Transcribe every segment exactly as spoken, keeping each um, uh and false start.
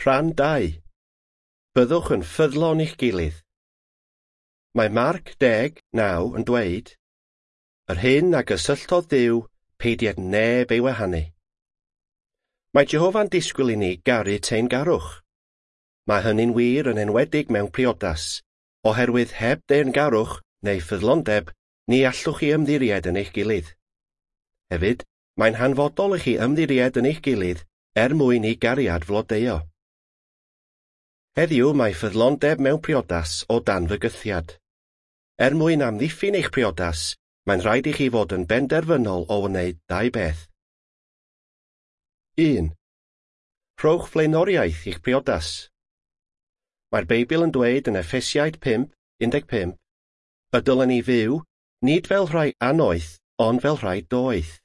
Rhan dau. Byddwch yn ffyddlon i'ch gilydd. Mae Marc deg, naw yn dweud, Yr hyn a gysylltodd Duw, peidied neb ei wahanu. Mae Jehofa'n disgwyl i ni garu teyrngarwch. Mae hynny'n wir yn enwedig mewn priodas, oherwydd heb deyrngarwch neu ffyddlondeb, ni allwch chi ymddiried yn eich gilydd. Hefyd, mae'n hanfodol i chi ymddiried yn eich gilydd er mwyn i gariad flodeuo. Heddiw mae ffyddlondeb mewn priodas o dan fygythiad. Er mwyn amddiffyn eich priodas, mae'n rhaid i chi fod yn benderfynol o wneud dau beth. Un. Rhowch flaenoriaeth i'ch priodas. Mae'r Beibl yn dweud yn Effesiaid pump, un deg pump, y dylen ni fyw, nid fel rhai annoeth, ond fel rhai doeth.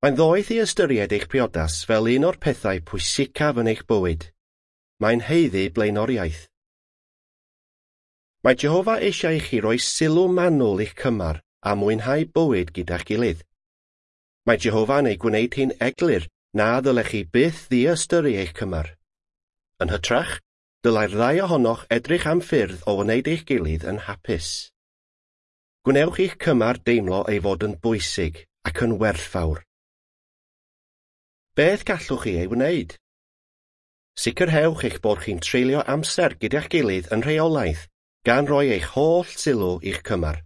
Mae'n ddoeth i ystyried eich priodas fel un o'r pethau pwysicaf yn eich bywyd. Mae'n haeddu blaenoriaeth. Mae Jehofa eisiau i chi roi sylw manwl i'ch cymar a mwynhau bywyd gyda'ch gilydd. Mae Jehofa'n ei gwneud hi'n eglur na ddylech chi byth ddiystyru eich cymar. Yn hytrach, dylai'r ddau ohonoch edrych am ffyrdd o wneud eich gilydd yn hapus. Gwnewch i'ch cymar deimlo ei fod yn bwysig ac yn werthfawr. Beth gallwch chi ei wneud? Sicrhewch eich bod chi'n treulio amser gyda'ch gilydd yn rheolaidd, gan roi eich holl sylw i'ch cymar.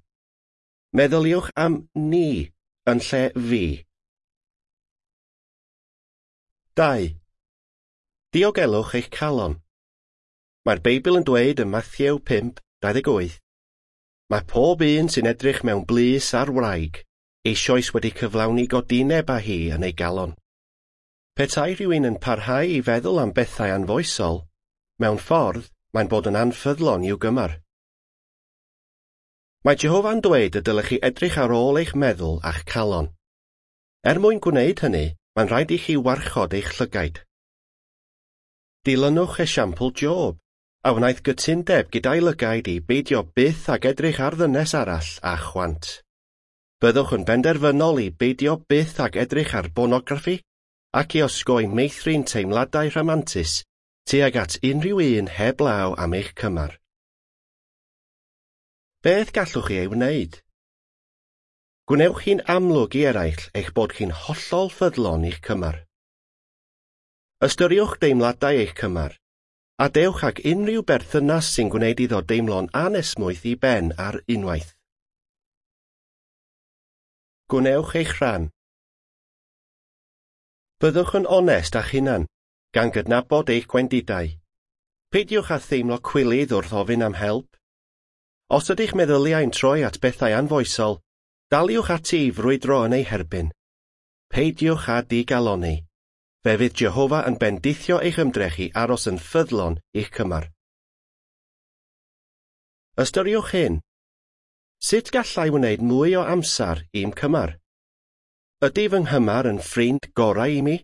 Meddyliwch am ni yn lle fi. Dau. Diogelwch eich calon. Mae'r Beibl yn dweud ym Mathew pump, dau ddeg wyth, Mae pob un sy'n edrych mewn blys ar wraig eisoes wedi cyflawni godineb â hi yn ei galon. Petai rhywun yn parhau i feddwl am bethau anfoesol, mewn ffordd mae'n bod yn anffyddlon i'w gymar. Mae Jehofa'n dweud y dylech chi edrych ar ôl eich meddwl a'ch calon. Er mwyn gwneud hynny, mae'n rhaid i chi warchod eich llygaid. Dilynwch esiampl Job, a wnaeth gytundeb gyda'i lygaid i beidio byth ag edrych ar ddynes arall a chwant. Byddwch yn benderfynol i beidio byth ag edrych ar bornograffi ac i osgoi meithrin teimladau rhamantus tuag at unrhyw un heblaw am eich cymar. Beth gallwch chi ei wneud? Gwnewch hi'n amlwg i eraill eich bod chi'n hollol ffyddlon i'ch cymar. Ystyriwch deimladau eich cymar, a dewch ag unrhyw berthynas sy'n gwneud iddo deimlo'n anesmwyth i ben ar unwaith. Gwnewch eich rhan. Byddwch yn onest â'ch hunan, gan gydnabod eich gwendidau. Peidiwch â theimlo cwilydd wrth ofyn am help. Os ydych meddyliau'n troi at bethau anfoesol, daliwch ati i frwydro yn ei herbyn. Peidiwch â digalonni. Fe fydd Jehofa yn bendithio eich ymdrech i aros yn ffyddlon i'ch cymar. Ystyriwch hyn. Sut gallai wneud mwy o amser i'm cymar? Ydy fy nghymar yn ffrind gorau i mi?